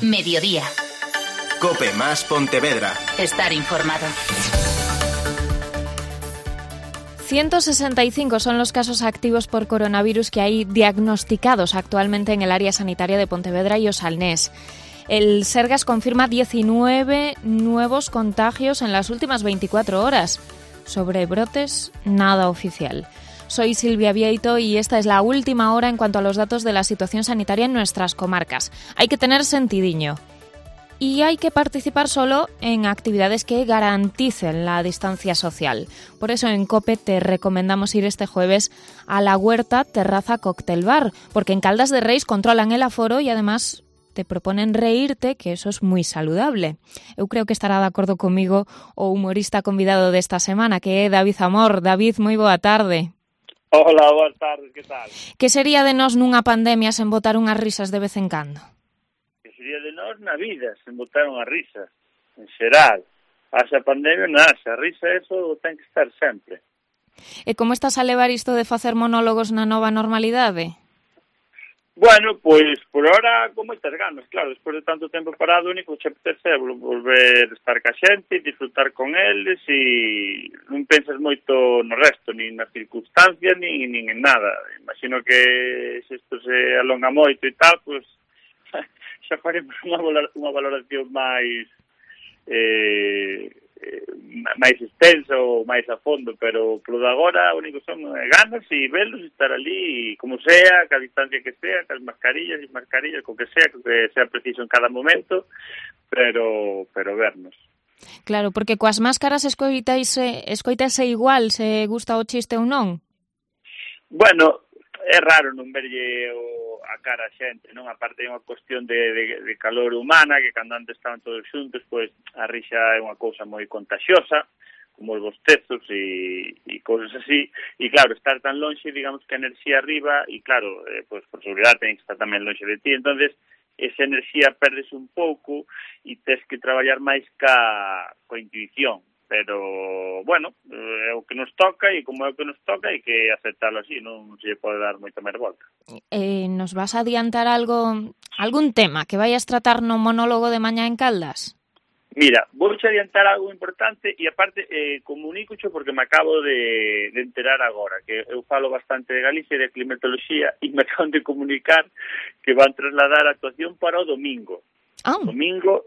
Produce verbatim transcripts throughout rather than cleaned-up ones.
Mediodía. COPE más Pontevedra. Estar informado. ciento sesenta y cinco son los casos activos por coronavirus que hay diagnosticados actualmente en el área sanitaria de Pontevedra y Osalnés. El Sergas confirma diecinueve nuevos contagios en las últimas veinticuatro horas. Sobre brotes, nada oficial. Soy Silvia Vieito y esta es la última hora en cuanto a los datos de la situación sanitaria en nuestras comarcas. Hay que tener sentidiño. Y hay que participar solo en actividades que garanticen la distancia social. Por eso en COPE te recomendamos ir este jueves a la Huerta Terraza Cóctel Bar, porque en Caldas de Reis controlan el aforo y además te proponen reírte, que eso es muy saludable. Eu creo que estará de acordo comigo o humorista convidado desta semana, que é David Amor. David, moi boa tarde. Hola, boas tardes, que tal? Que sería de nós nunha pandemia sen botar unhas risas de vez en cando? Que sería de nós na vida, sen botar unhas risas, en xeral. Haxa pandemia, nada, a risa, eso ten que estar sempre. E como estás a levar isto de facer monólogos na nova normalidade? Bueno, pois, por ahora, con moitas ganas, claro, despois de tanto tempo parado, o único que che apetece é volver a estar ca xente, disfrutar con eles e non pensas moito no resto, nin nas circunstancias, nin, nin en nada. Imagino que se isto se alonga moito e tal, pois xa faremos unha, unha valoración máis eh, máis extensa ou máis a fondo, pero polo de agora o único son ganas e velos e estar ali, como sea, ca distancia que sea, cas mascarillas e mascarillas, co que sea, co que sea preciso en cada momento, pero pero vernos. Claro, porque coas máscaras escoitaise, escoitase igual se gusta o chiste ou non? Bueno, é raro non verlle o, a cara a xente, non? Aparte é unha cuestión de, de, de calor humana, que cando antes estaban todos xuntos, pois a rixa é unha cousa moi contagiosa, como os bostezos e, e cousas así, e claro, estar tan lonxe, digamos que a enerxía arriba, e claro, eh, pois por seguridade ten que estar tamén lonxe de ti, entonces esa enerxía perdes un pouco e tes que traballar máis ca, coa intuición. Pero, bueno, é o que nos toca e como é o que nos toca hai que aceptarlo así, non se pode dar moita máis volta. Eh, nos vas a adiantar algo, algún tema que vayas tratar no monólogo de mañá en Caldas? Mira, vou xe adiantar algo importante e aparte eh, comunícocho porque me acabo de, de enterar agora, que eu falo bastante de Galicia e de climatoloxía e me acaban de comunicar que van trasladar a actuación para o domingo. Ah. O domingo,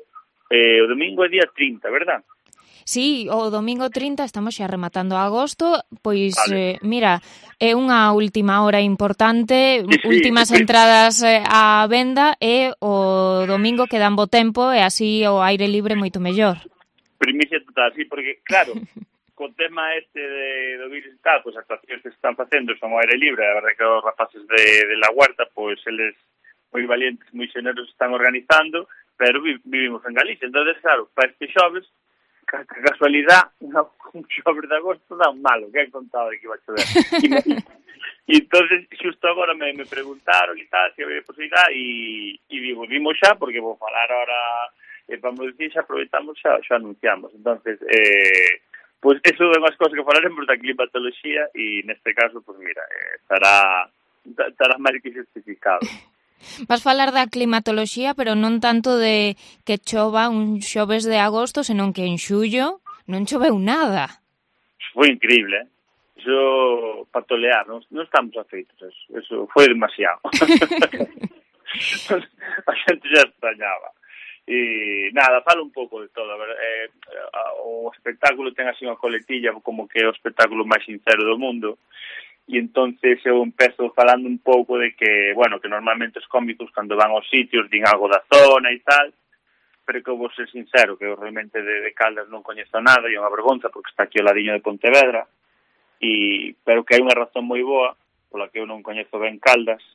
eh, o domingo é día trinta, verdad? Sí, o domingo trinta estamos xa rematando agosto, pois, vale. eh, mira, é unha última hora importante, sí, sí, últimas sí. entradas eh, á venda e o domingo quedan bo tempo e así o aire libre moito mellor. Primicia total, sí, porque, claro, co tema este de, do virus e tal, pois as actuacións que se están facendo son ao aire libre, a verdade que os rapaces de, de la Huerta, pois eles moi valientes, moi xeneros están organizando, pero vi, vivimos en Galicia, entonces, claro, para este xoves, ca casualidade, un xoves de agosto dá un malo, que han contado de que iba a chover. E entonces, xusto agora me, me preguntaron e tal, se había posibilidade, e, e digo, vimos xa, porque vou falar ahora, eh, vamos dicir, xa aproveitamos, xa, xa anunciamos. Entonces, eh, pues eso é unhas cosas que falaremos da climatoloxía, e neste caso, pues mira, eh, estará, estará máis que justificado. Vas falar da climatoloxía, pero non tanto de que chova un xoves de agosto, senón que en xullo non choveu nada. Foi increíble, eh? Eso, para tolear, non, non estamos afeitos, eso, eso foi demasiado. A xente xa extrañaba. E nada, falo un pouco de todo. A ver, eh, o espectáculo ten así unha coletilla como que é o espectáculo máis sincero do mundo. E entonces eu empezo falando un pouco de que, bueno, que normalmente os cómicos cando van aos sitios din algo da zona e tal, pero que eu vou ser sincero, que eu realmente de, de Caldas non coñezo nada, e é unha vergonza porque está aquí ao ladiño de Pontevedra, e, pero que hai unha razón moi boa pola que eu non coñezo ben Caldas,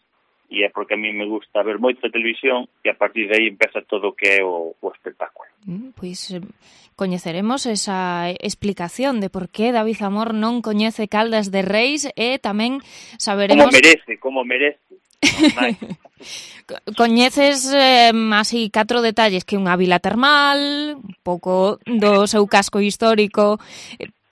e é porque a mí me gusta ver moita televisión e a partir de aí empeza todo o que é o, o espectáculo. Mm, pois eh, coñeceremos esa explicación de por que David Amor non coñece Caldas de Reis e tamén saberemos... Como merece, como merece. Coñeces eh, así catro detalles, que unha vila termal, un pouco do seu casco histórico,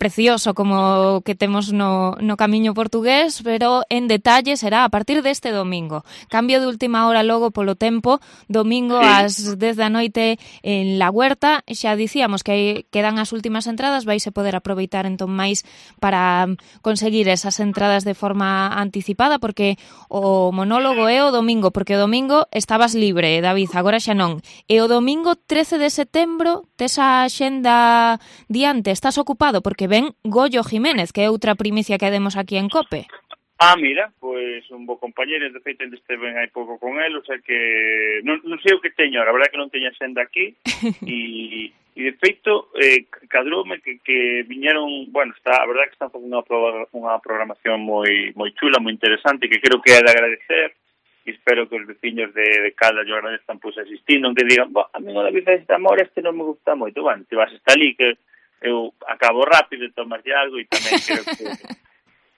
precioso como que temos no, no camiño portugués, pero en detalle será a partir deste domingo. Cambio de última hora logo polo tempo, domingo sí. ás dez da noite en La Huerta. Xa dicíamos que aí quedan as últimas entradas, vais a poder aproveitar entón máis para conseguir esas entradas de forma anticipada, porque o monólogo é o domingo, porque o domingo estabas libre, David, agora xa non. E o domingo trece de setembro tes a xenda diante, estás ocupado porque ven Goyo Jiménez, que é outra primicia que demos aquí en COPE. Ah, mira, pois un bo compañero, de feito, este ven hai pouco con el, o sea que non, non sei o que teño, a verdade que non teño xenda aquí, e, e de feito, eh, cadroume que, que viñeron, bueno, está, a verdade que están facendo unha, unha programación moi moi chula, moi interesante, que creo que é de agradecer, e espero que os veciños de, de Caldas yo agradezcan pois asistindo, que digan, a mí o David este amor, este non me gusta moito, bueno, te vas a estar ali, que eu acabo rápido, tomas algo, e tamén creo que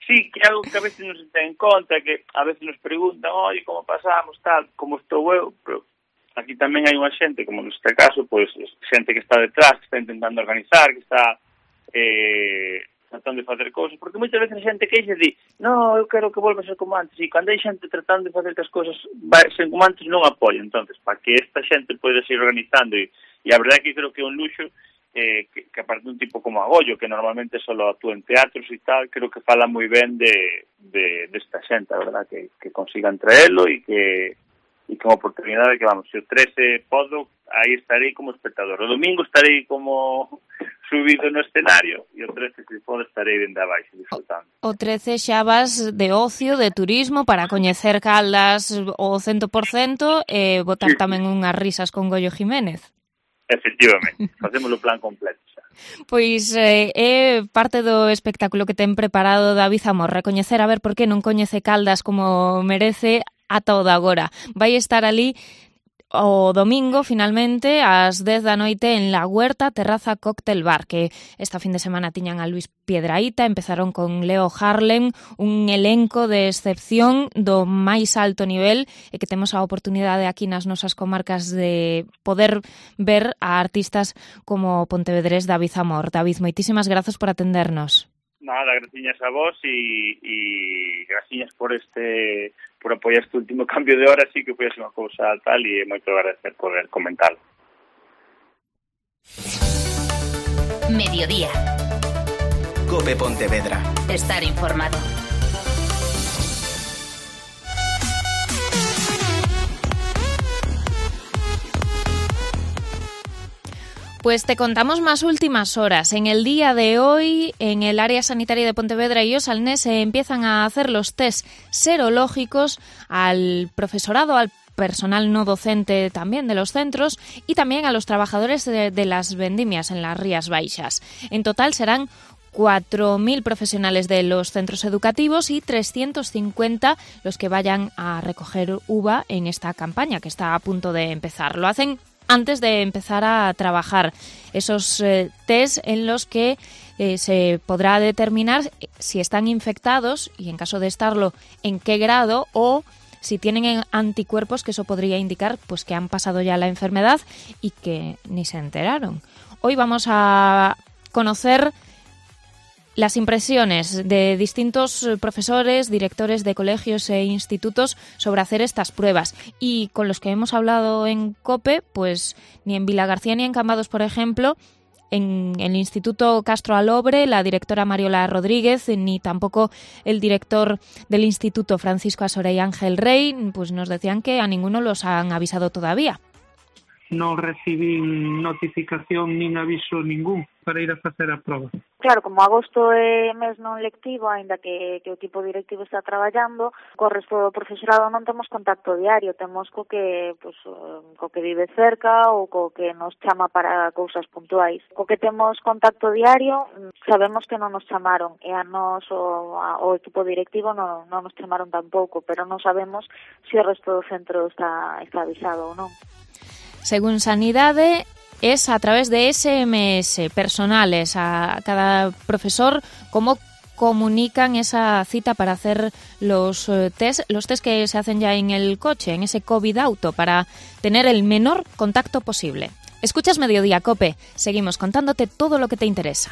sí, que algo que a veces non se ten en conta, que a veces nos preguntan, oye, como pasamos, tal, como estou eu, pero aquí tamén hai unha xente, como neste caso, pois xente que está detrás, que está intentando organizar, que está eh, tratando de facer cousas, porque moitas veces a xente queixa di, no, eu quero que volva a ser como antes, e cando hai xente tratando de facer que as cousas vai ser como antes, non apoia. Entonces, para que esta xente poida seguir organizando, e, e a verdade que creo que é un luxo, eh, que, que aparte un tipo como Agollo, que normalmente solo actúa en teatros e tal, creo que fala moi ben de, de, de esta xente, a verdade, que, que consigan traelo e que e con oportunidade que, vamos, se o trece podo, aí estarei como espectador. O domingo estarei como subido no escenario e o trece, se podo, estarei dende abaixo disfrutando. O trece xa vas de ocio, de turismo, para coñecer Caldas o cento por cento e botar sí, tamén unhas risas con Goyo Jiménez. Efectivamente, facemos o plan completo xa. Pois eh, é parte do espectáculo que ten preparado David Amor, recoñecer a ver por que non coñece Caldas como merece ata o de agora. Vai estar ali o domingo, finalmente, ás dez da noite en La Huerta, Terraza Cóctel Bar, que esta fin de semana tiñan a Luis Piedrahita, empezaron con Leo Harlem, un elenco de excepción do máis alto nivel, e que temos a oportunidade aquí nas nosas comarcas de poder ver a artistas como pontevedrés David Amor. David, moitísimas grazas por atendernos. Nada, graciñas a vos e, e graciñas por este por apoiar este último cambio de hora, sí que foi así unha cousa tal, e moito agradecer por comentarlo. Mediodía. COPE Pontevedra. Estar informado. Pues te contamos más últimas horas. En el día de hoy, en el área sanitaria de Pontevedra y Osalnés se empiezan a hacer los test serológicos al profesorado, al personal no docente también de los centros y también a los trabajadores de, de las vendimias en las Rías Baixas. En total serán cuatro mil profesionales de los centros educativos y trescientos cincuenta los que vayan a recoger uva en esta campaña que está a punto de empezar. Lo hacen antes de empezar a trabajar. Esos eh, test en los que eh, se podrá determinar si están infectados y, en caso de estarlo, en qué grado, o si tienen anticuerpos, que eso podría indicar pues que han pasado ya la enfermedad y que ni se enteraron. Hoy vamos a conocer las impresiones de distintos profesores, directores de colegios e institutos sobre hacer estas pruebas. Y con los que hemos hablado en COPE, pues ni en Vilagarcía ni en Cambados, por ejemplo, en el Instituto Castro Alobre, la directora Mariola Rodríguez, ni tampoco el director del Instituto Francisco Asore y Ángel Rey, pues nos decían que a ninguno los han avisado todavía. Non recibín notificación nin aviso ningún para ir a facer a proba. Claro, como agosto é mes non lectivo, aínda que, que o equipo directivo está traballando, co resto do profesorado non temos contacto diario, temos co que, pues, co que vive cerca ou co que nos chama para cousas puntuais. Co que temos contacto diario, sabemos que non nos chamaron, e a nos o, a, o equipo directivo non, non nos chamaron tampouco, pero non sabemos se o resto do centro está, está avisado ou non. Según Sanidade, es a través de ese eme ese personales a cada profesor cómo comunican esa cita para hacer los test, los test que se hacen ya en el coche, en ese COVID auto, para tener el menor contacto posible. Escuchas Mediodía, COPE. Seguimos contándote todo lo que te interesa.